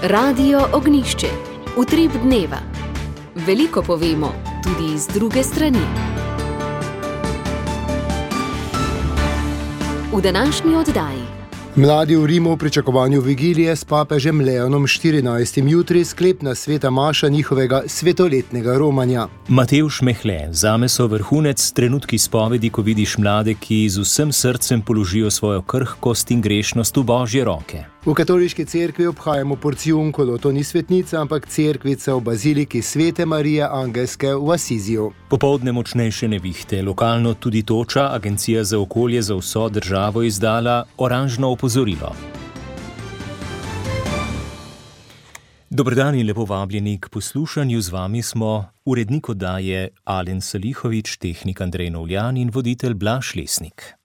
Radio Ognišče, utrip dneva. Veliko povemo, tudi z druge strani. V današnji oddaji. Mladi v Rimu v pričakovanju vigilije s papežem Leonom XIV. Jutri sklepna sveta maša njihovega svetoletnega romanja. Matevž Mehle, zame so vrhunec trenutki spovedi, ko vidiš mlade, ki z vsem srcem položijo svojo krhkost in grešnost v Božje roke. V katoliški cerkvi obhajamo porciunkolo, to ni svetnica, ampak cerkvica v baziliki Svete Marije Angelske v Asiziju. Popoldne močnejše nevihte, lokalno tudi toča, Agencija za okolje za vso državo izdala oranžno opozorilo. Dober dan in lepo vabljeni k poslušanju, z vami smo urednik oddaje Alen Salihovič, tehnik Andrej Novljan in voditelj Blaž Lesnik.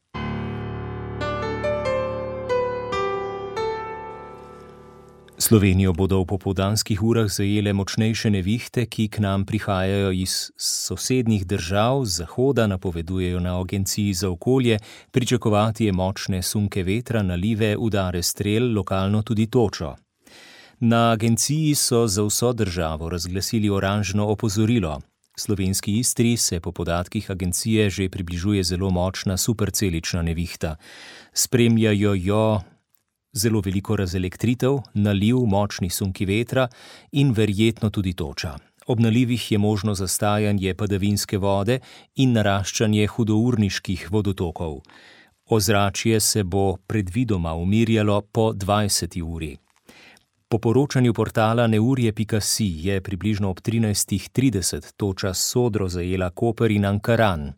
Slovenijo bodo v popoldanskih urah zajele močnejše nevihte, ki k nam prihajajo iz sosednjih držav, z zahoda, napovedujejo na Agenciji za okolje. Pričakovati je močne sunke vetra, nalive, udare strel, lokalno tudi točo. Na agenciji so za vso državo razglasili oranžno opozorilo. Slovenski Istri se po podatkih agencije že približuje zelo močna supercelična nevihta. Spremljajo jo zelo veliko razelektritev, naliv, močni sunki vetra in verjetno tudi toča. Ob nalivih je možno zastajanje padavinske vode in naraščanje hudourniških vodotokov. Ozračje se bo predvidoma umirjalo po 20. uri. Po poročanju portala neurje.si je približno ob 13.30 toča sodro zajela Koper in Ankaran.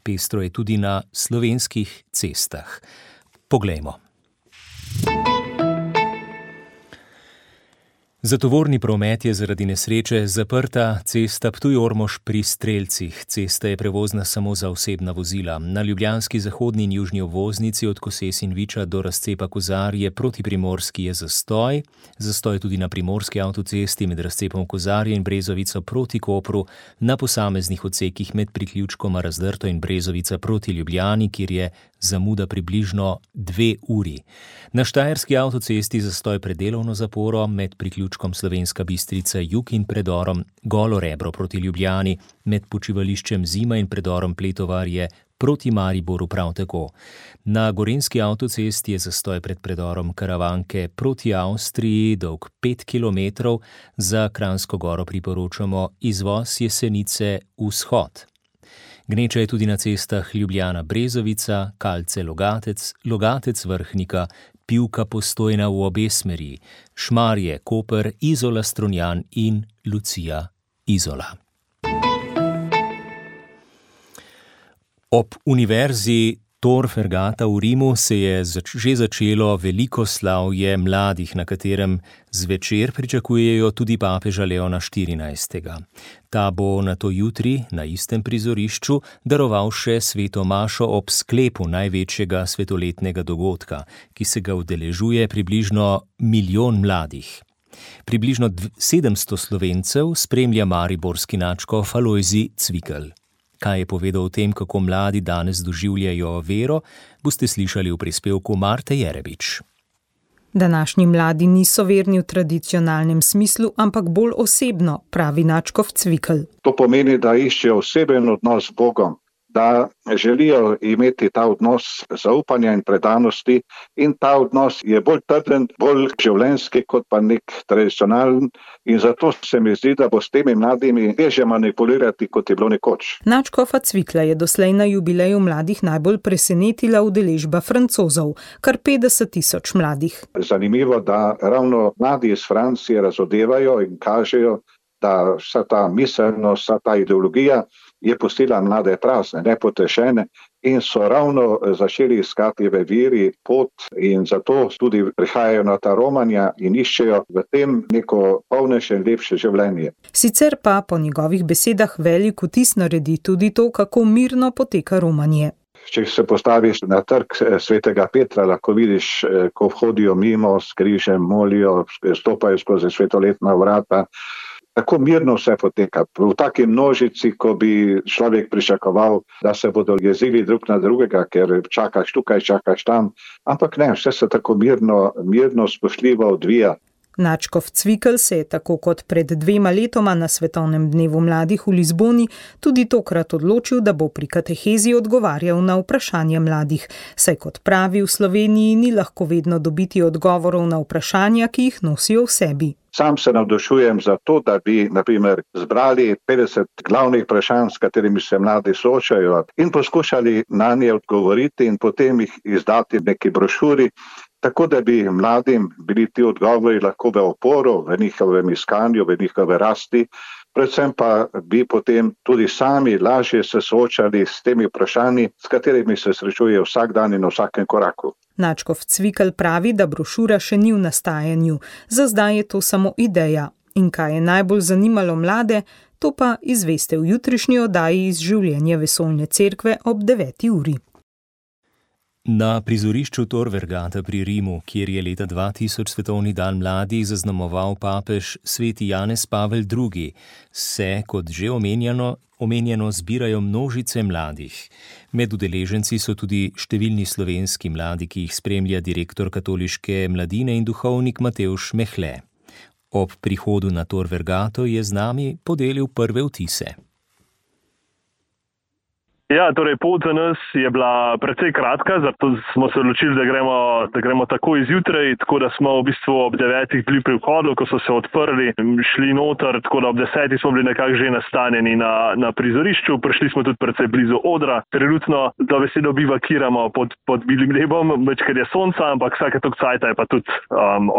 Pestro je tudi na slovenskih cestah. Poglejmo. Za tovorni promet je zaradi nesreče zaprta cesta Ptuj-Ormož pri Strelcih. Cesta je prevozna samo za osebna vozila. Na ljubljanski zahodni in južni obvoznici od Koses in Viča do razcepa Kozarje proti Primorski je zastoj. Zastoj tudi na primorski avtocesti med razcepom Kozarje in Brezovico proti Kopru, na posameznih odsekih med priključkoma Razdrto in Brezovica proti Ljubljani, kjer je zamuda približno 2 uri. Na štajerski avtocesti zastoj pred delovno zaporo med priključkom Slovenska Bistrica jug in predorom Golo Rebro proti Ljubljani, med počivališčem Zima in predorom Pletovarje proti Mariboru prav tako. Na gorenjski avtocesti je zastoj pred predorom Karavanke proti Avstriji dolg 5 km, za Kranjsko Goro priporočamo izvoz Jesenice vzhod. Gneča je tudi na cestah Ljubljana-Brezovica, Kalce-Logatec, Logatec-Vrhnika, Pivka-Postojna v obe smeri, Šmarje-Koper, Izola-Strunjan in Lucija-Izola. Ob univerzi Tor Vergata v Rimu se je že začelo veliko slavje mladih, na katerem zvečer pričakujejo tudi papeža Leona XIV. Ta bo nato jutri na istem prizorišču daroval še sveto mašo ob sklepu največjega svetoletnega dogodka, ki se ga udeležuje približno 1 milijon mladih. Približno 700 Slovencev spremlja mariborski nadškof Alojzij Cvikl. Kaj je povedal o tem, kako mladi danes doživljajo vero, boste slišali v prispevku Marte Jerebič. Današnji mladi niso verni v tradicionalnem smislu, ampak bolj osebno, pravi nadškof Cvikl. To pomeni, da iščejo oseben odnos z Bogom, da želijo imeti ta odnos zaupanja in predanosti in ta odnos je bolj trden, bolj življenjski kot pa nek tradicionalen in zato se mi zdi, da bo s temi mladimi težje manipulirati, kot je bilo nekoč. Nadškofa Cvikla je doslej na jubileju mladih najbolj presenetila udeležba Francozov, kar 50.000 mladih. Zanimivo, da ravno mladi iz Francije razodevajo in kažejo, da vsa ta miselnost, vsa ta ideologija je pustila mlade prazne, nepotešene in so ravno začeli iskati v veri pot in zato tudi prihajajo na ta romanja in iščejo v tem neko polnejše in lepše življenje. Sicer pa po njegovih besedah velik vtis naredi tudi to, kako mirno poteka romanje. Če se postaviš na trg Svetega Petra, lahko vidiš, ko hodijo mimo s križem, molijo, stopajo skozi svetoletna vrata. Tako mirno vse poteka. V taki množici, ko bi človek pričakoval, da se bodo jezili drug na drugega, ker čakaš tukaj, čakaš tam. Ampak ne, vse se tako mirno, spoštljivo odvija. Nadškof Cvikl se je tako kot pred 2 letoma na Svetovnem dnevu mladih v Lizboni tudi tokrat odločil, da bo pri katehezi odgovarjal na vprašanja mladih, saj kot pravi, v Sloveniji ni lahko vedno dobiti odgovorov na vprašanja, ki jih nosijo v sebi. Sam se navdušujem za to, da bi, na primer, zbrali 50 glavnih vprašanj, s katerimi se mladi soočajo in poskušali na nje odgovoriti in potem jih izdati v neki brošuri, tako da bi mladim bili ti odgovori lahko v oporo, v njihovem iskanju, v njihove rasti, predvsem pa bi potem tudi sami lažje se soočali s temi vprašanji, s katerimi se srečujejo vsak dan in na vsakem koraku. Nadškof Cvikl pravi, da brošura še ni v nastajanju, za zdaj je to samo ideja. In kaj je najbolj zanimalo mlade, to pa izveste v jutrišnji oddaji iz življenja Vesoljne cerkve ob 9. uri. Na prizorišču Tor Vergata pri Rimu, kjer je leta 2000 Svetovni dan mladih zaznamoval papež sveti Janez Pavel II., se, kot že omenjeno zbirajo množice mladih. Med udeleženci so tudi številni slovenski mladi, ki jih spremlja direktor katoliške mladine in duhovnik Matevž Mehle. Ob prihodu na Tor Vergato je z nami podelil prve vtise. Ja, torej pot za nas je bila precej kratka, zato smo se odločili, da gremo takoj zjutraj, tako da smo v bistvu ob 9 bili pri vhodu, ko so se odprli, šli noter, tako da ob 10 smo bili nekako že nastanjeni na prizorišču, prišli smo tudi precej blizu odra. Trenutno za besedo bivakiramo pod bilim nebom, večkrat je sonca, ampak vsake toliko cajta je pa tudi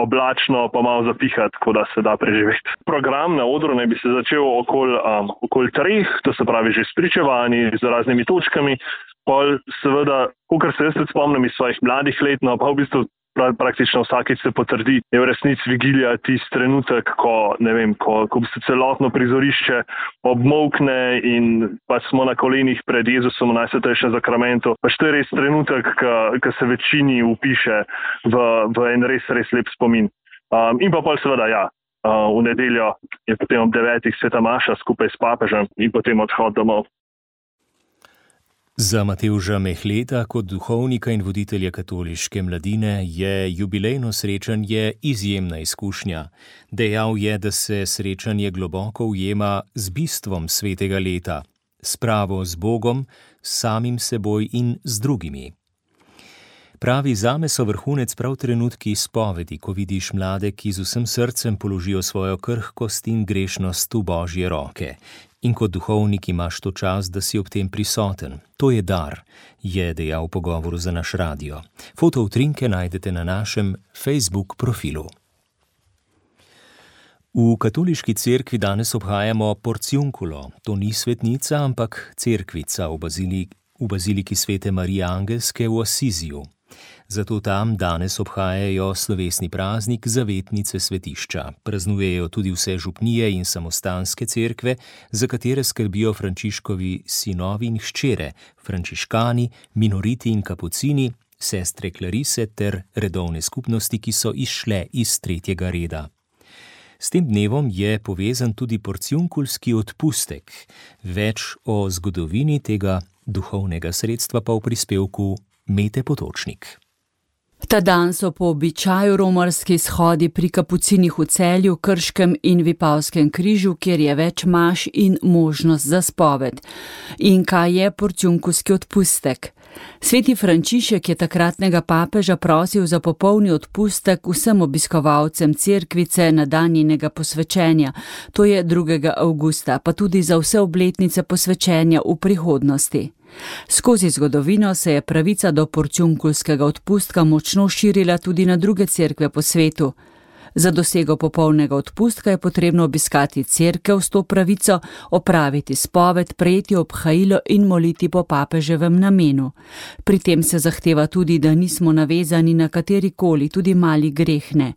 oblačno, pa malo zapihati, tako da se da preživeti. Program na odru naj bi se začel okoli 3, to se pravi že s pričevanji, z raznimi točkami, pol seveda, kakor se jaz tudi spomnim iz svojih mladih let, no pa v bistvu praktično vsakič se potrdi, je v resnici vigilija tisti trenutek, ko v bistvu celotno prizorišče obmolkne in pa smo na kolenih pred Jezusom v Najsvetejšem zakramentu. Pa to je res trenutek, ki se večini upiše v en res lep spomin. In pa pol seveda, ja, v nedeljo je potem ob 9 sveta maša skupaj s papežem in potem odhod domov. Za Matevža Mehleta kot duhovnika in voditelja katoliške mladine je jubilejno srečanje izjemna izkušnja. Dejal je, da se srečanje globoko ujema z bistvom svetega leta, spravo z Bogom, samim seboj in z drugimi. Pravi, zame so vrhunec prav trenutki izpovedi, ko vidiš mlade, ki z vsem srcem položijo svojo krhkost in grešnost v Božje roke. In kot duhovnik imaš to čas, da si ob tem prisoten. To je dar, je dejal v pogovoru za naš radio. Fotoutrinke najdete na našem Facebook profilu. V katoliški cerkvi danes obhajamo Porciunculo. To ni svetnica, ampak cerkvica v baziliki svete Marije Angelske v Asiziju. Zato tam danes obhajajo slovesni praznik zavetnice svetišča. Praznujejo tudi vse župnije in samostanske cerkve, za katere skrbijo Frančiškovi sinovi in hčere, frančiškani, minoriti in kapucini, sestre Klarise ter redovne skupnosti, ki so izšle iz 3. reda. S tem dnevom je povezan tudi porciunkulski odpustek. Več o zgodovini tega duhovnega sredstva pa v prispevku Mete Potočnik. Ta dan so po običaju romarski shodi pri kapucinih v Celju, Krškem in Vipavskem križu, kjer je več maš in možnost za spoved. In kaj je porciunkulski odpustek? Sveti Frančišek je takratnega papeža prosil za popolni odpustek vsem obiskovalcem cerkvice na dan njenega posvečenja, to je 2. avgusta, pa tudi za vse obletnice posvečenja v prihodnosti. Skozi zgodovino se je pravica do porciunkulskega odpustka močno širila tudi na druge cerkve po svetu. Za dosego popolnega odpustka je potrebno obiskati cerkev s to pravico, opraviti spoved, prejeti obhajilo in moliti po papeževem namenu. Pri tem se zahteva tudi, da nismo navezani na katerikoli, tudi mali greh ne.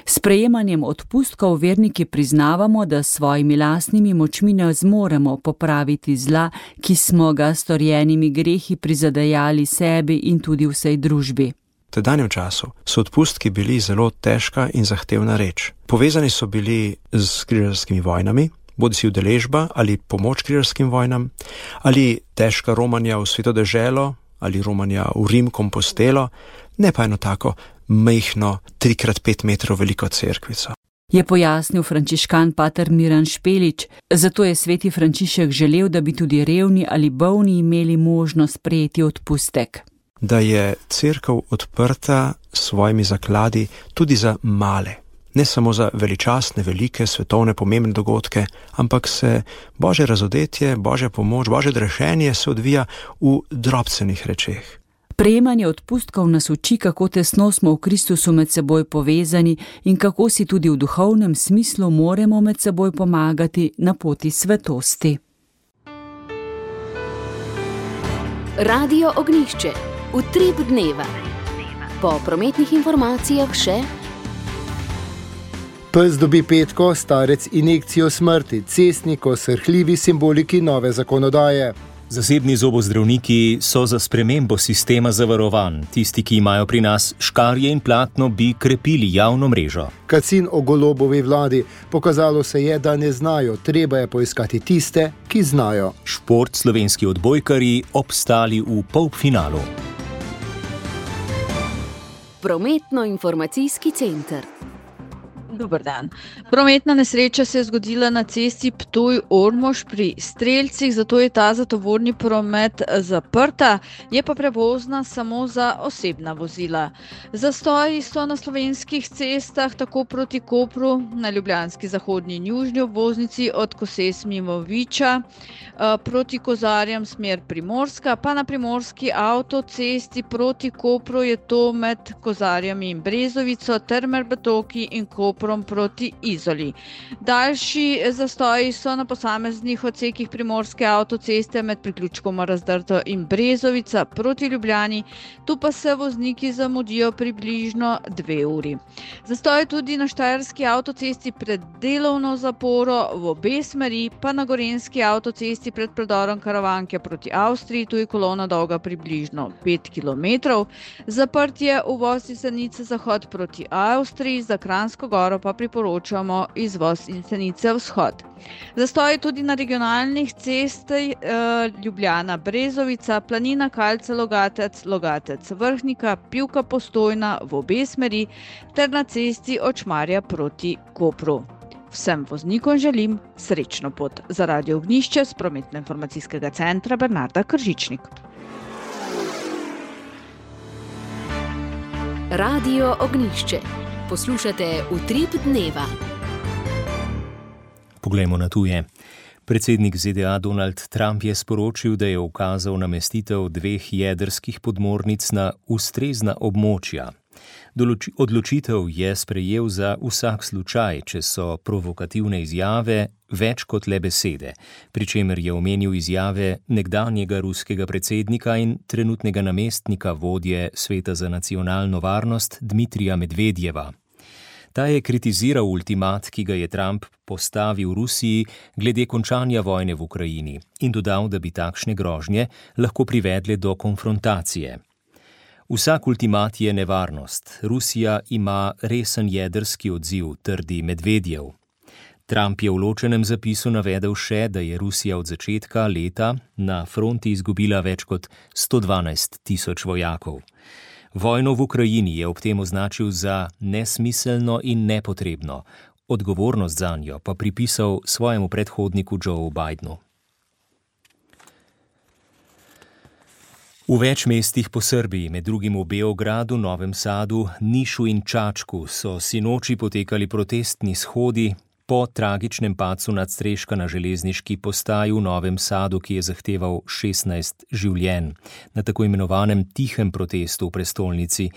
S prejemanjem odpustkov verniki priznavamo, da s svojimi lastnimi močmi ne zmoremo popraviti zla, ki smo ga storjenimi grehi prizadejali sebi in tudi vsej družbi. V tedanjem času so odpustki bili zelo težka in zahtevna reč. Povezani so bili z križarskimi vojnami, bodisi udeležba ali pomoč križarskim vojnam, ali težka romanja v Sveto deželo, ali romanja v Rim, Kompostelo, ne pa eno tako majhno 3x5 metrov veliko cerkvico. je pojasnil frančiškan pater Miran Špelič. Zato je sveti Frančišek želel, da bi tudi revni ali bolni imeli možnost prejeti odpustek. Da je cerkev odprta s svojimi zakladi tudi za male. Ne samo za veličastne, velike, svetovne, pomembne dogodke, ampak se Božje razodetje, Božja pomoč, Božje odrešenje se odvija v drobcenih rečeh. Prejemanje odpustkov nas uči, kako tesno smo v Kristusu med seboj povezani in kako si tudi v duhovnem smislu moramo med seboj pomagati na poti svetosti. Radio Ognjišče. Utrip dneva. Po prometnih informacijah še: Pes dobi petko, starec injekcijo smrti, cestnik o srhljivi simboliki nove zakonodaje. Zasebni zobozdravniki so za spremembo sistema zavarovanj. Tisti, ki imajo pri nas škarje in platno, bi krepili javno mrežo. Kacin o Golobovi vladi. Pokazalo se je, da ne znajo, treba je poiskati tiste, ki znajo. Šport, slovenski odbojkarji obstali v polfinalu. Prometno-informacijski center. Dober dan. Prometna nesreča se je zgodila na cesti Ptuj-Ormož pri Strelcih, zato je ta za tovorni promet zaprta, je pa prevozna samo za osebna vozila. Zastoji so na slovenskih cestah tako proti Kopru, na ljubljanski zahodni in južni obvoznici od Koses mimo Viča, proti Kozarjem smer Primorska, pa na primorski avtocesti proti Kopru je to med Kozarjami in Brezovico ter med Betoki in Koprom proti Izoli. Daljši zastoji so na posameznih odsekih primorske avtoceste med priključkoma Razdrto in Brezovica proti Ljubljani, tu pa se vozniki zamudijo približno 2 uri. Zastoj tudi na štajerski avtocesti pred delovno zaporo v obe smeri, pa na gorenjski avtocesti pred predorom Karavanke proti Avstriji, tu je kolona dolga približno 5 km. Zaprt je uvoz iz Senice zahod proti Avstriji, za Kranjsko Goro pa priporočamo izvoz iz Senice vzhod. Zastoj tudi na regionalnih cestah Ljubljana Brezovica, Planina Kalce Logatec, Logatec Vrhnika, Pivka Postojna v obe smeri ter na cesti od Šmarja proti Kopru. Vsem voznikom želim srečno pot. Za Radio Ognjišče s prometno-informacijskega centra Bernarda Kržičnik. Radio Ognjišče. Poslušate Utrip dneva. Poglejmo na tuje. Predsednik ZDA Donald Trump je sporočil, da je ukazal namestitev 2 jedrskih podmornic na ustrezna območja. Odločitev je sprejel za vsak slučaj, če so provokativne izjave več kot le besede, pri čemer je omenil izjave nekdanjega ruskega predsednika in trenutnega namestnika vodje Sveta za nacionalno varnost Dmitrija Medvedjeva. Ta je kritiziral ultimat, ki ga je Trump postavil Rusiji glede končanja vojne v Ukrajini in dodal, da bi takšne grožnje lahko privedle do konfrontacije. Vsak ultimat je nevarnost. Rusija ima resen jedrski odziv, trdi Medvedjev. Trump je v ločenem zapisu navedel še, da je Rusija od začetka leta na fronti izgubila več kot 112.000 vojakov. Vojno v Ukrajini je ob tem označil za nesmiselno in nepotrebno, odgovornost zanjo pa pripisal svojemu predhodniku Joe Bidenu. V več mestih po Srbiji, med drugim v Beogradu, Novem Sadu, Nišu in Čačku, so sinoči potekali protestni shodi po tragičnem padcu nadstreška na železniški postaji v Novem Sadu, ki je zahteval 16 življenj. Na tako imenovanem tihem protestu v prestolnici,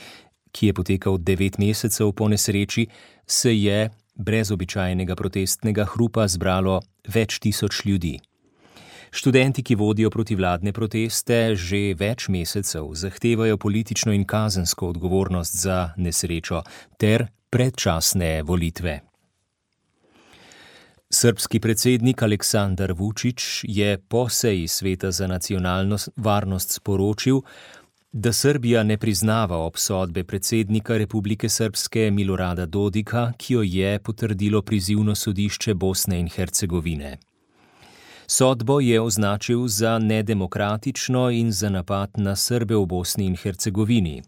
ki je potekal 9 mesecev po nesreči, se je brez običajnega protestnega hrupa zbralo več tisoč ljudi. Študenti, ki vodijo protivladne proteste, že več mesecev zahtevajo politično in kazensko odgovornost za nesrečo ter predčasne volitve. Srbski predsednik Aleksandar Vučić je po seji Sveta za nacionalno varnost sporočil, da Srbija ne priznava obsodbe predsednika Republike Srpske Milorada Dodika, ki jo je potrdilo prizivno sodišče Bosne in Hercegovine. Sodbo je označil za nedemokratično in za napad na Srbe v Bosni in Hercegovini.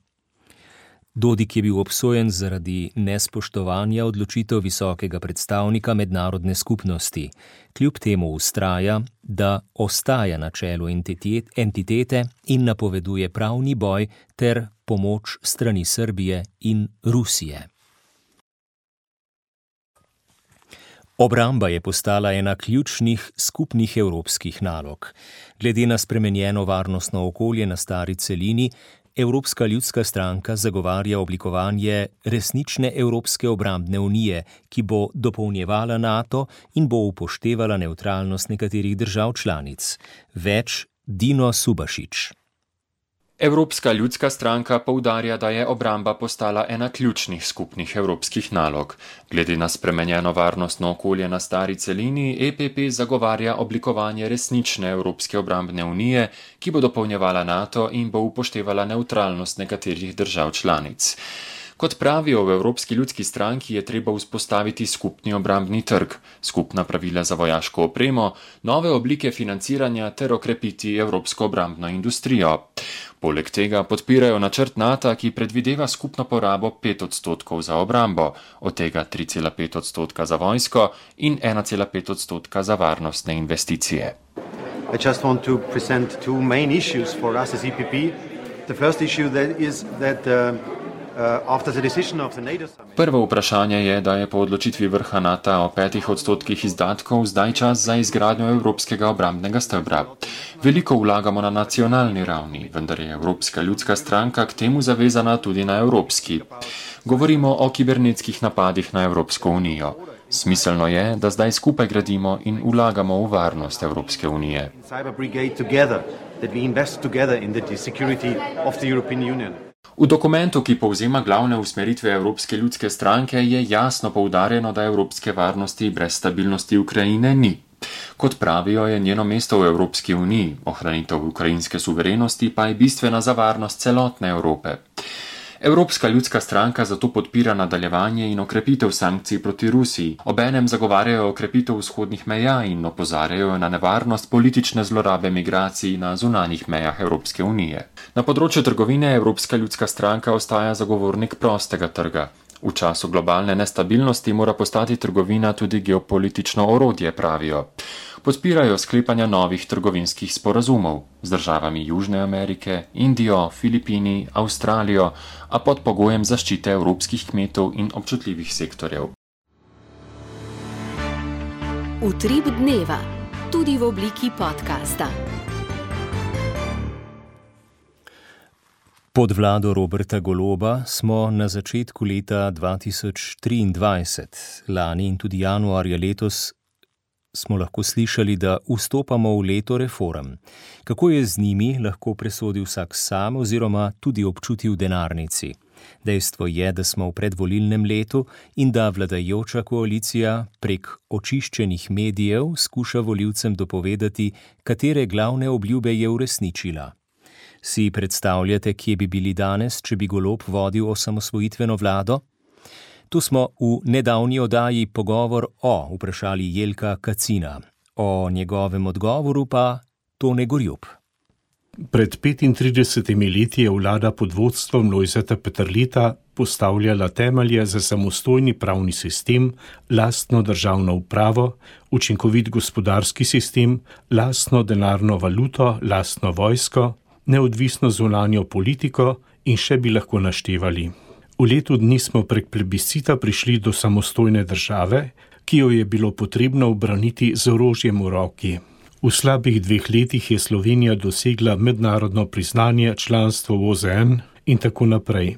Dodik je bil obsojen zaradi nespoštovanja odločitev visokega predstavnika mednarodne skupnosti. Kljub temu vztraja, da ostaja na čelu entitete in napoveduje pravni boj ter pomoč strani Srbije in Rusije. Obramba je postala ena ključnih skupnih evropskih nalog. Glede na spremenjeno varnostno okolje na stari celini, Evropska ljudska stranka zagovarja oblikovanje resnične Evropske obrambne unije, ki bo dopolnjevala NATO in bo upoštevala nevtralnost nekaterih držav članic. Več Dino Subašič. Evropska ljudska stranka poudarja, da je obramba postala ena ključnih skupnih evropskih nalog. Glede na spremenjeno varnostno okolje na stari celini, EPP zagovarja oblikovanje resnične Evropske obrambne unije, ki bo dopolnjevala NATO in bo upoštevala nevtralnost nekaterih držav članic. Kot pravijo v Evropski ljudski stranki, je treba vzpostaviti skupni obrambni trg, skupna pravila za vojaško opremo, nove oblike financiranja ter okrepiti evropsko obrambno industrijo. Poleg tega podpirajo načrt NATO, ki predvideva skupno porabo 5% za obrambo, od tega 3,5% za vojsko in 1,5% za varnostne investicije. I just want to present two main issues for us as EPP. The first issue is that Prvo vprašanje je, da je po odločitvi vrha NATO o 5% izdatkov zdaj čas za izgradnjo evropskega obrambnega stebra. Veliko vlagamo na nacionalni ravni, vendar je Evropska ljudska stranka k temu zavezana tudi na evropski. Govorimo o kibernetskih napadih na Evropsko unijo. Smiselno je, da zdaj skupaj gradimo in vlagamo v varnost Evropske unije. V dokumentu, ki povzema glavne usmeritve Evropske ljudske stranke, je jasno poudarjeno, da evropske varnosti brez stabilnosti Ukrajine ni. Kot pravijo, je njeno mesto v Evropski uniji, ohranitev ukrajinske suverenosti pa je bistvena za varnost celotne Evrope. Evropska ljudska stranka zato podpira nadaljevanje in okrepitev sankcij proti Rusiji. Obenem zagovarjajo okrepitev vzhodnih meja in opozarjajo na nevarnost politične zlorabe migracij na zunanjih mejah Evropske unije. Na področju trgovine Evropska ljudska stranka ostaja zagovornik prostega trga. V času globalne nestabilnosti mora postati trgovina tudi geopolitično orodje, pravijo. Podpirajo sklepanja novih trgovinskih sporazumov z državami Južne Amerike, Indijo, Filipini, Avstralijo, a pod pogojem zaščite evropskih kmetov in občutljivih sektorjev. Utrip dneva, tudi v obliki podcasta. Pod vlado Roberta Goloba smo na začetku leta 2023, lani in tudi januarja letos, smo lahko slišali, da vstopamo v leto reform. Kako je z njimi, lahko presodi vsak sam oziroma tudi občuti v denarnici. Dejstvo je, da smo v predvolilnem letu in da vladajoča koalicija prek očiščenih medijev skuša volivcem dopovedati, katere glavne obljube je uresničila. Si predstavljate, kje bi bili danes, če bi Golob vodil osamosvojitveno vlado? Tu smo v nedavni oddaji Pogovor o vprašali Jelka Kacina. O njegovem odgovoru pa Tone Gorjup. Pred 35 leti je vlada pod vodstvom Lojzeta Peterleta postavljala temelje za samostojni pravni sistem, lastno državno upravo, učinkovit gospodarski sistem, lastno denarno valuto, lastno vojsko, neodvisno zunanjo politiko in še bi lahko naštevali. V letu dni smo prek plebiscita prišli do samostojne države, ki jo je bilo potrebno ubraniti z orožjem v roki. V slabih 2 letih je Slovenija dosegla mednarodno priznanje, članstvo v OZN in tako naprej.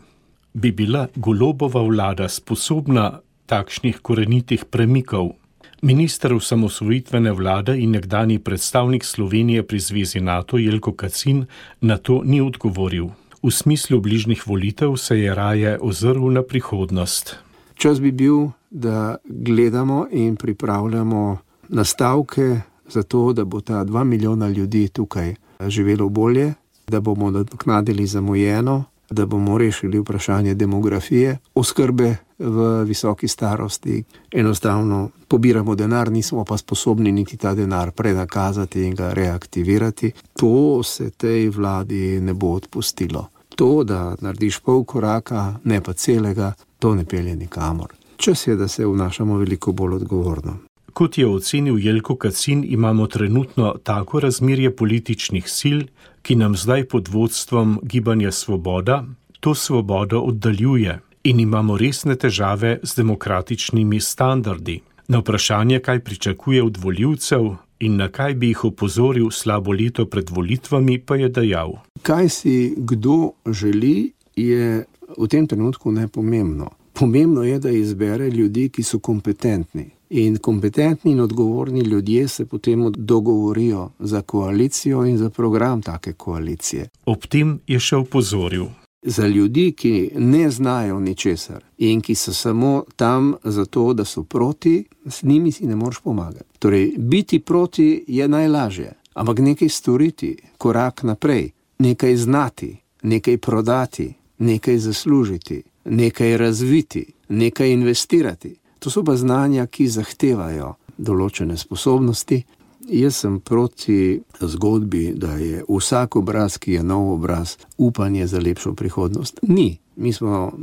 Bi bila Golobova vlada sposobna takšnih korenitih premikov? Minister osamosvojitvene vlade in nekdanji predstavnik Slovenije pri Zvezi NATO Jelko Kacin na to ni odgovoril. V smislu bližnjih volitev se je raje ozrl na prihodnost. Čas bi bil, da gledamo in pripravljamo nastavke za to, da bo ta 2 milijona ljudi tukaj živelo bolje, da bomo nadoknadili zamujeno, da bomo rešili vprašanje demografije, oskrbe v visoki starosti. Enostavno pobiramo denar, nismo pa sposobni niti ta denar prenakazati in ga reaktivirati. To se tej vladi ne bo odpustilo. To, da narediš pol koraka, ne pa celega, to ne pelje nikamor. Čas je, da se obnašamo veliko bolj odgovorno. Kot je ocenil Jelko Kacin, imamo trenutno tako razmerje političnih sil, ki nam zdaj pod vodstvom Gibanja Svoboda to svobodo oddaljuje in imamo resne težave z demokratičnimi standardi. Na vprašanje, kaj pričakuje od volivcev in na kaj bi jih opozoril slabo leto pred volitvami, pa je dejal. Kaj si kdo želi, je v tem trenutku nepomembno. Pomembno je, da izbere ljudi, ki so kompetentni. In kompetentni in odgovorni ljudje se potem dogovorijo za koalicijo in za program take koalicije. Ob tem je še opozoril. Za ljudi, ki ne znajo ničesar in ki so samo tam zato, da so proti, s njimi si ne moreš pomagati. Torej, biti proti je najlažje, ampak nekaj storiti, korak naprej, nekaj znati, nekaj prodati, nekaj zaslužiti, nekaj razviti, nekaj investirati. To so pa znanja, ki zahtevajo določene sposobnosti. Jaz sem proti zgodbi, da je vsak obraz, ki je nov obraz, upanje za lepšo prihodnost. Ni. Mi smo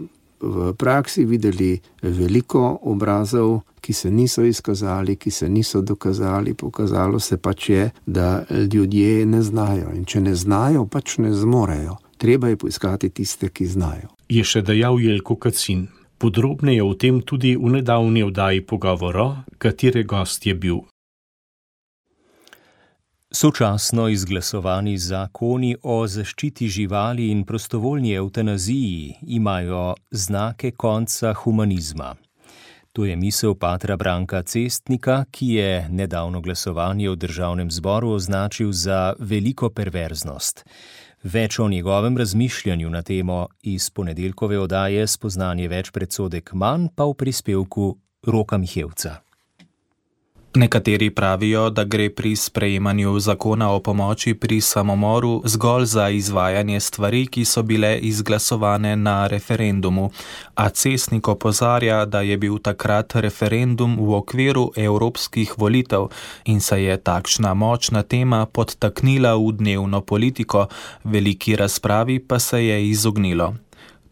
v praksi videli veliko obrazov, ki se niso izkazali, ki se niso dokazali. Pokazalo se pač je, da ljudje ne znajo. In če ne znajo, pač ne zmorejo. Treba je poiskati tiste, ki znajo. Je še dejal Jelko Kacin. Podrobneje o tem tudi v nedavni oddaji Pogovora, katere gost je bil. Sočasno izglasovani zakoni o zaščiti živali in prostovoljni evtanaziji imajo znake konca humanizma. To je misel patra Branka Cestnika, ki je nedavno glasovanje v Državnem zboru označil za veliko perverznost. Več o njegovem razmišljanju na temo iz ponedeljkove oddaje Spoznanje več predsodek manj pa v prispevku Roka Mihevca. Nekateri pravijo, da gre pri sprejemanju zakona o pomoči pri samomoru zgolj za izvajanje stvari, ki so bile izglasovane na referendumu, a Cestnik opozarja, da je bil takrat referendum v okviru evropskih volitev in se je takšna močna tema podtaknila v dnevno politiko, veliki razpravi pa se je izognilo.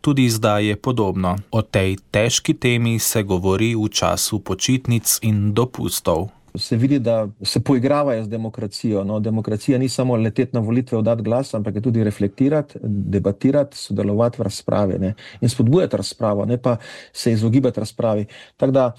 Tudi zdaj je podobno. O tej težki temi se govori v času počitnic in dopustov. Se vidi, da se poigravajo z demokracijo. No, demokracija ni samo leteti na volitve, oddati glas, ampak je tudi reflektirati, debatirati, sodelovati v razpravi, ne, in spodbujati razpravo, ne pa se izogibati razpravi. Tako da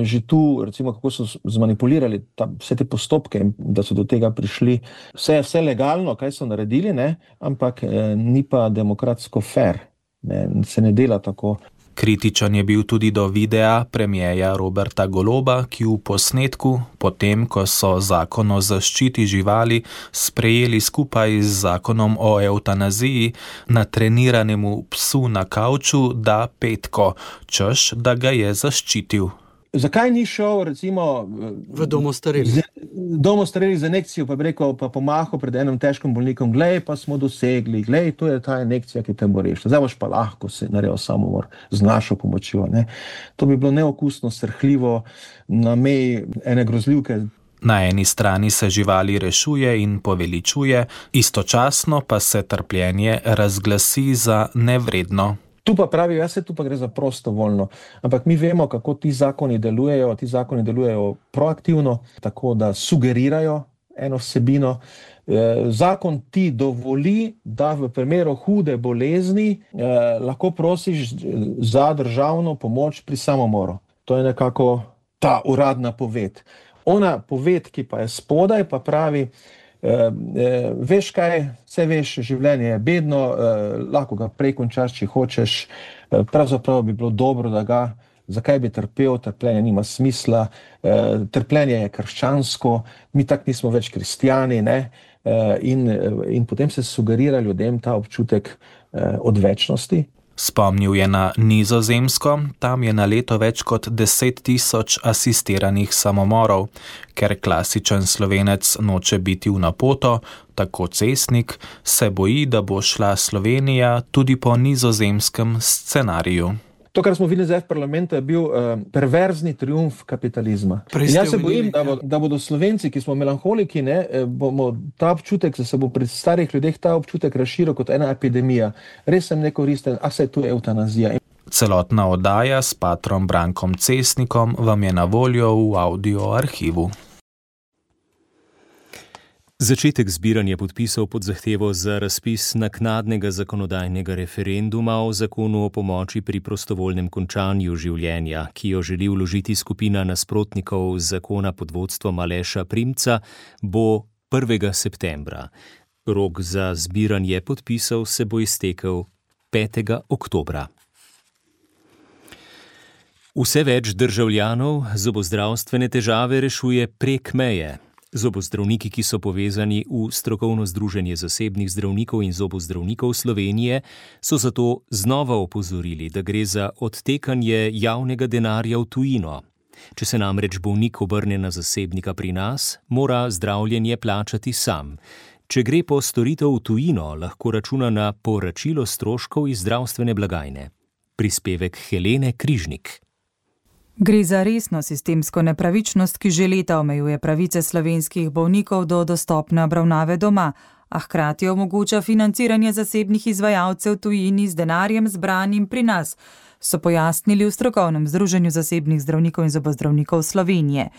že tu, recimo, kako so zmanipulirali vse te postopke, da so do tega prišli. Vse legalno, kaj so naredili, ne, ampak ni pa demokratsko fair. Ne, se ne dela tako. Kritičen je bil tudi do videa premierja Roberta Goloba, ki v posnetku, potem ko so zakon o zaščiti živali sprejeli skupaj z zakonom o evtanaziji, na treniranemu psu na kavču da petko, češ, da ga je zaščitil. Zakaj ni šel, recimo, v domu starelih za injekcijo, pa bi rekel, pa pomahal pred enim težkim bolnikom, glej, pa smo dosegli, glej, to je ta injekcija, ki te bo rešila. Zdaj boš pa lahko se naredil samomor z našo pomočjo. Ne? To bi bilo neokusno, srhljivo, na meji ene grozljivke. Na eni strani se živali rešuje in poveličuje, istočasno pa se trpljenje razglasi za nevredno. Tu pa pravijo, tu pa gre za prostovoljno, ampak mi vemo, kako ti zakoni delujejo. Ti zakoni delujejo proaktivno, tako da sugerirajo eno vsebino. Zakon ti dovoli, da v primeru hude bolezni lahko prosiš za državno pomoč pri samomoru. To je nekako ta uradna poved. Ona poved, ki pa je spodaj, pa pravi, veš kaj, vse veš, življenje je bedno, lahko ga prej končaš, če hočeš, pravzaprav bi bilo dobro, da ga, zakaj bi trpel, trpljenje nima smisla, trpljenje je krščansko, mi tak nismo več kristjani, ne, in potem se sugerira ljudem ta občutek odvečnosti. Spomnil je na Nizozemsko, tam je na leto več kot 10 000 asistiranih samomorov. Ker klasičen Slovenec noče biti v napoto, tako Cestnik, se boji, da bo šla Slovenija tudi po nizozemskem scenariju. To, kar smo videli zdaj v parlamentu, je bil perverzni triumf kapitalizma. In jaz se bojim, da bodo Slovenci, ki smo melanholiki, bomo ta občutek, da se bo pri starih ljudeh ta občutek razširil kot ena epidemija. Res sem nekoristen, a se je tu eutanazija. Celotna oddaja s patrom Brankom Cesnikom vam je na voljo v audio arhivu. Začetek zbiranja podpisov pod zahtevo za razpis naknadnega zakonodajnega referenduma o zakonu o pomoči pri prostovoljnem končanju življenja, ki jo želi vložiti skupina nasprotnikov zakona pod vodstvom Aleša Primca, bo 1. septembra. Rok za zbiranje podpisov se bo iztekel 5. oktobra. Vse več državljanov zobozdravstvene težave rešuje prek meje. Zobozdravniki, ki so povezani v strokovno združenje zasebnih zdravnikov in zobozdravnikov Slovenije, so zato znova opozorili, da gre za odtekanje javnega denarja v tujino. Če se namreč bolnik obrne na zasebnika pri nas, mora zdravljenje plačati sam. Če gre po storitev v tujino, lahko računa na povračilo stroškov iz zdravstvene blagajne. Prispevek Helene Križnik. Gre za resno sistemsko nepravičnost, ki že leta omejuje pravice slovenskih bolnikov do dostopne obravnave doma, a hkrati omogoča financiranje zasebnih izvajalcev tujini z denarjem zbranim pri nas, so pojasnili v strokovnem združenju zasebnih zdravnikov in zobozdravnikov Slovenije.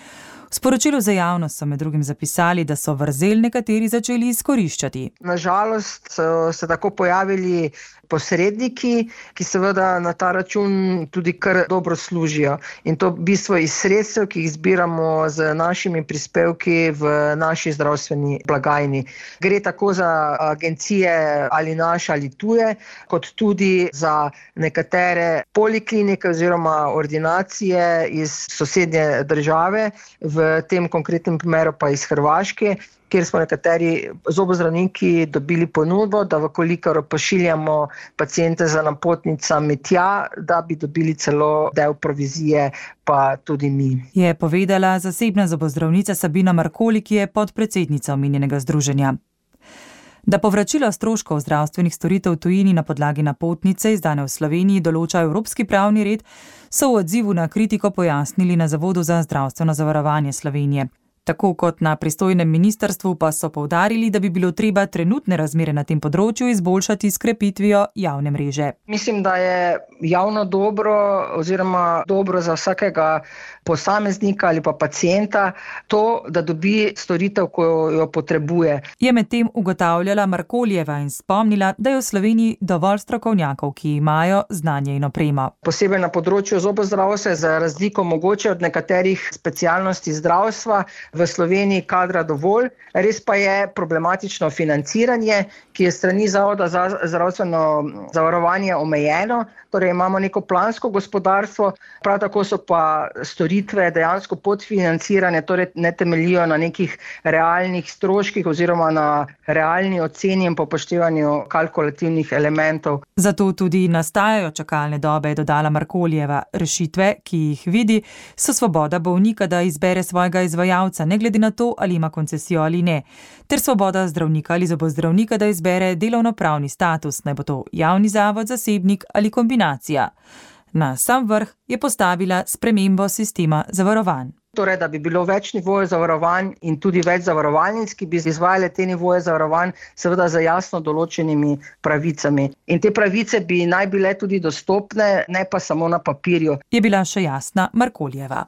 V sporočilu za javnost so med drugim zapisali, da so vrzel nekateri začeli izkoriščati. Nažalost so se tako pojavili posredniki, ki seveda na ta račun tudi kar dobro služijo. In to v bistvu iz sredstev, ki jih zbiramo z našimi prispevki v naši zdravstveni blagajni. Gre tako za agencije ali naše ali tuje, kot tudi za nekatere poliklinike oziroma ordinacije iz sosednje države, v tem konkretnem primeru pa iz Hrvaške, kjer smo nekateri zobozdravniki dobili ponudbo, da vkolikor pošiljamo paciente za napotnicami tja, da bi dobili celo del provizije, pa tudi mi. Je povedala zasebna zobozdravnica Sabina Markoli, ki je podpredsednica omenjenega združenja. Da povračilo stroškov zdravstvenih storitev v tujini na podlagi napotnice izdane v Sloveniji določa evropski pravni red, so v odzivu na kritiko pojasnili na Zavodu za zdravstveno zavarovanje Slovenije. Tako kot na pristojnem ministrstvu pa so poudarili, da bi bilo treba trenutne razmere na tem področju izboljšati s krepitvijo javne mreže. Mislim, da je javno dobro oziroma dobro za vsakega posameznika ali pa pacienta to, da dobi storitev, ko jo potrebuje. Je medtem ugotavljala Markoljeva in spomnila, da je v Sloveniji dovolj strokovnjakov, ki imajo znanje in opremo. Posebej na področju zobozdravstva, za razliko mogoče od nekaterih specialnosti zdravstva, v Sloveniji kadra dovolj, res pa je problematično financiranje, ki je strani Zavoda za zdravstveno zavarovanje omejeno, torej imamo neko plansko gospodarstvo, prav tako so pa storitve dejansko podfinancirane, torej ne temeljijo na nekih realnih stroških oziroma na realni oceni in upoštevanju kalkulativnih elementov. Zato tudi nastajajo čakalne dobe, je dodala Markoljeva. Rešitve, ki jih vidi, so svoboda bolnika, da izbere svojega izvajalca, ne glede na to, ali ima koncesijo ali ne, ter svoboda zdravnika ali zobozdravnika, da izbere delovnopravni status, naj bo to javni zavod, zasebnik ali kombinacija. Na sam vrh je postavila spremembo sistema zavarovanj. Torej, da bi bilo več nivojev zavarovanj in tudi več zavarovalnic, ki bi izvajale te nivoje zavarovanj, seveda za jasno določenimi pravicami. In te pravice bi naj bile tudi dostopne, ne pa samo na papirju. Je bila še jasna Markoljeva.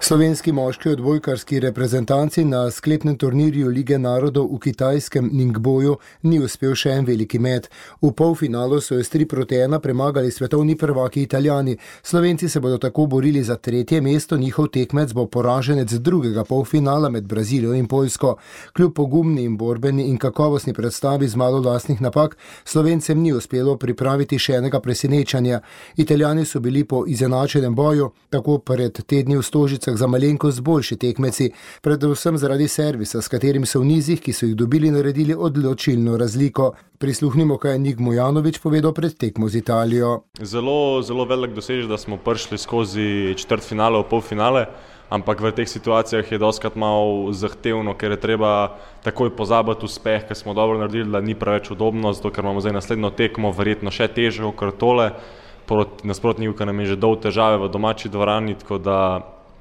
Slovenski moški odbojkarski reprezentanci na sklepnem turnirju Lige narodov v kitajskem Ningboju ni uspel še en veliki met. V polfinalu so s 3-1 premagali svetovni prvaki Italijani. Slovenci se bodo tako borili za 3. mesto, njihov tekmec bo poraženec drugega polfinala med Brazilijo in Poljsko. Kljub pogumni in borbeni in kakovostni predstavi z malo lastnih napak, Slovencem ni uspelo pripraviti še enega presenečanja. Italijani so bili po izenačenem boju, tako pred tedni v Stožicah, za malenkost boljši tekmeci, predvsem zaradi servisa, s katerim so v nizih, ki so jih dobili, naredili odločilno razliko. Prisluhnimo, kaj je Nik Mujanović povedal pred tekmo z Italijo. Zelo velik dosežek, da smo prišli skozi četrtfinale v polfinale, ampak v teh situacijah je dostikrat malo zahtevno, ker je treba takoj pozabiti uspeh, ker smo dobro naredili, da ni preveč udobno, zato ker imamo zdaj naslednjo tekmo, verjetno še težje kot tole, proti nasprotniku nam je že dol težave v domači dvorani, tako da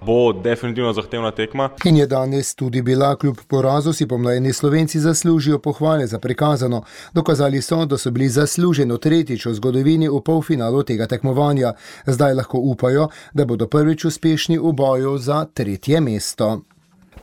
bo definitivno zahtevna tekma. In je danes tudi bila, kljub porazu si pomlajeni Slovenci zaslužijo pohvale za prikazano. Dokazali so, da so bili zasluženo tretjič v zgodovini v polfinalu tega tekmovanja. Zdaj lahko upajo, da bodo prvič uspešni v boju za 3. mesto.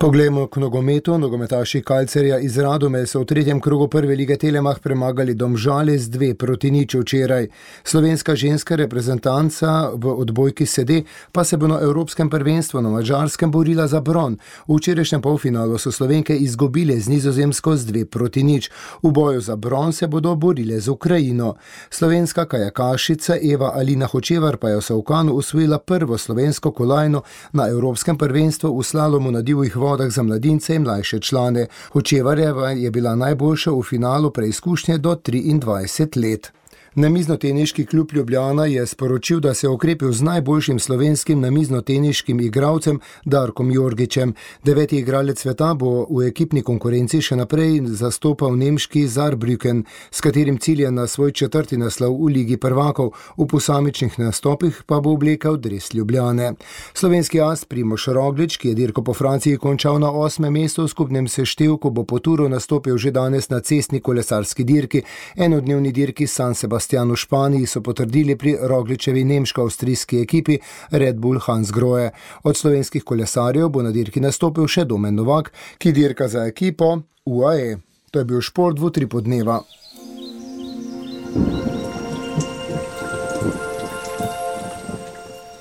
Poglejmo k nogometu. Nogometaši Kalcerja iz Radome so v 3. krogu prve lige Telemach premagali Domžale z 2-0 včeraj. Slovenska ženska reprezentanca v odbojki sede pa se bo na Evropskem prvenstvu na Madžarskem borila za bron. V včerajšnjem polfinalu so Slovenke izgubile z Nizozemsko z 2-0. V boju za bron se bodo borile z Ukrajino. Slovenska kajakašica Eva Alina Hočevar pa je v Savkanu osvojila prvo slovensko kolajno na Evropskem prvenstvu v slalomu na divjih vodah za mladince in mlajše člane. Hočevarjeva je bila najboljša v finalu preizkušnje do 23 let. Namiznoteniški klub Ljubljana je sporočil, da se je okrepil z najboljšim slovenskim namiznoteniškim igralcem Darkom Jorgičem. 9. igralec sveta bo v ekipni konkurenci še naprej zastopal nemški Saarbrücken, s katerim cilja na svoj 4. naslov v Ligi prvakov. V posamičnih nastopih pa bo oblekal dres Ljubljane. Slovenski as Primož Roglič, ki je dirko po Franciji končal na 8. mestu v skupnem seštevku, bo po turu nastopil že danes na cestni kolesarski dirki. Enodnevni dirki San Sebastian v Španiji so potrdili pri Rogličevi nemško-avstrijski ekipi Red Bull Hansgrohe. Od slovenskih kolesarjev bo na dirki nastopil še Domen Novak, ki dirka za ekipo UAE. To je bil šport v Utripu dneva.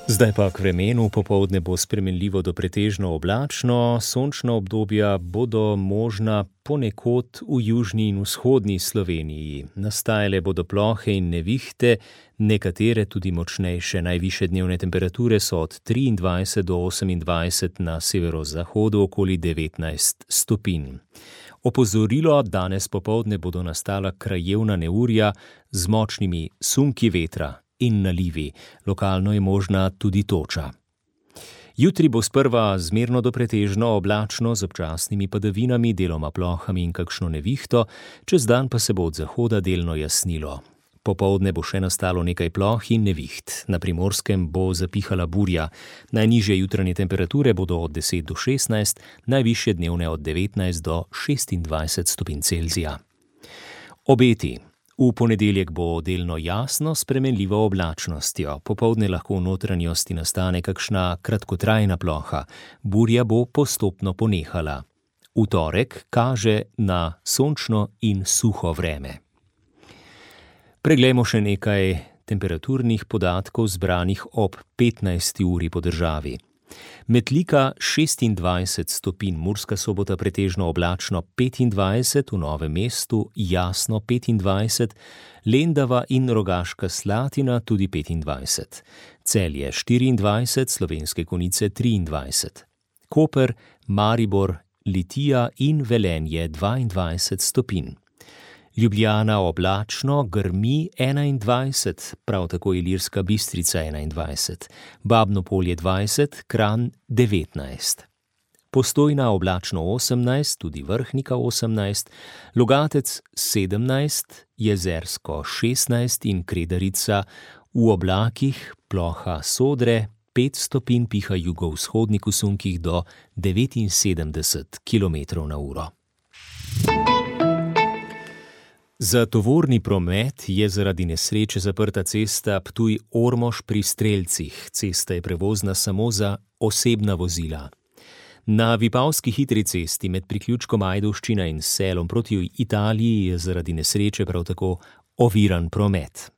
Zdaj pa k vremenu. Popoldne bo spremenljivo do pretežno oblačno, sončna obdobja bodo možna ponekod v južni in vzhodni Sloveniji. Nastajale bodo plohe in nevihte, nekatere tudi močnejše. Najvišje dnevne temperature so od 23 do 28, na severozahodu okoli 19 stopinj. Opozorilo: danes popoldne bodo nastala krajevna neurja z močnimi sunki vetra in nalivi. Lokalno je možna tudi toča. Jutri bo sprva zmerno do pretežno oblačno z občasnimi padavinami, deloma plohami in kakšno nevihto, čez dan pa se bo od zahoda delno jasnilo. Popoldne bo še nastalo nekaj ploh in neviht. Na Primorskem bo zapihala burja. Najnižje jutranje temperature bodo od 10 do 16, najvišje dnevne od 19 do 26 stopinj Celzija. Obeti. V ponedeljek bo delno jasno s spremenljivo oblačnostjo. Popoldne lahko v notranjosti nastane kakšna kratkotrajna ploha. Burja bo postopno ponehala. V torek kaže na sončno in suho vreme. Preglejmo še nekaj temperaturnih podatkov zbranih ob 15. uri po državi. Metlika 26 stopinj, Murska Sobota pretežno oblačno 25, v Novem mestu jasno 25, Lendava in Rogaška Slatina tudi 25, Celje 24, Slovenske Konjice 23, Koper, Maribor, Litija in Velenje 22 stopinj. Ljubljana oblačno, grmi 21, prav tako Ilirska Bistrica 21, Babno Polje 20, Kranj 19. Postojna oblačno 18, tudi Vrhnika 18, Logatec 17, Jezersko 16 in Kredarica v oblakih, ploha Sodre 5 stopinj, piha jugovzhodnik v sunkih do 79 km/h. Za tovorni promet je zaradi nesreče zaprta cesta Ptuj-Ormož pri Strelcih. Cesta je prevozna samo za osebna vozila. Na Vipavski hitri cesti med priključkom Ajdovščina in Selom proti Italiji je zaradi nesreče prav tako oviran promet.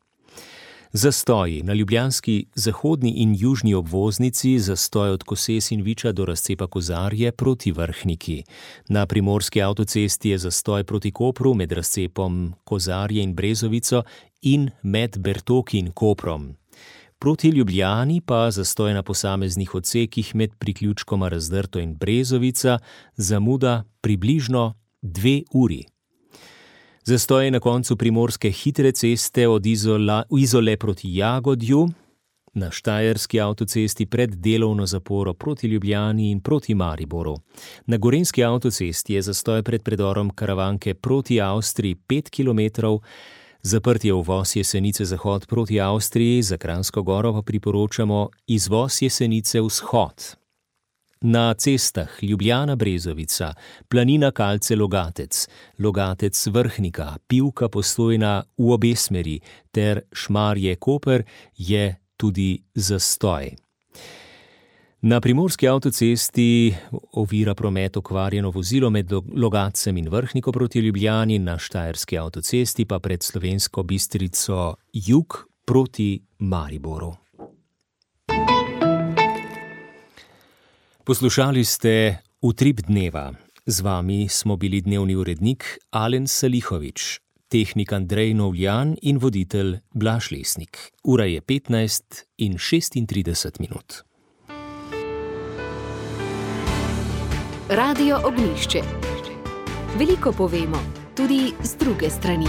Zastoji na ljubljanski zahodni in južni obvoznici, zastoj od Koses in Viča do razcepa Kozarje proti Vrhniki. Na primorski avtocesti je zastoj proti Kopru med razcepom Kozarje in Brezovico in med Bertoki in Koprom. Proti Ljubljani pa zastoj na posameznih odsekih med priključkoma Razdrto in Brezovica, zamuda približno 2 uri. Zastoj na koncu primorske hitre ceste od Izole proti Jagodju, Na Štajerski avtocesti pred delovno zaporo proti Ljubljani in proti Mariboru. Na Gorenjski avtocesti je zastoj pred predorom Karavanke proti Avstriji 5 km, zaprt je uvoz Jesenice zahod proti Avstriji, za Kranjsko Goro pa priporočamo izvoz Jesenice vzhod. Na cestah Ljubljana-Brezovica, Planina Kalce-Logatec, Logatec-Vrhnika, Pivka Postojna v obe smeri ter Šmarje-Koper je tudi zastoj. Na Primorski avtocesti ovira promet okvarjeno vozilo med Logatcem in Vrhniko proti Ljubljani, na Štajerski avtocesti pa pred Slovensko Bistrico jug proti Mariboru. Poslušali ste Utrip dneva. Z vami smo bili dnevni urednik Alen Salihovič, tehnik Andrej Novljan in voditelj Blaž Lesnik. Ura je 15:36. Radio Ognjišče. Veliko povemo, tudi z druge strani.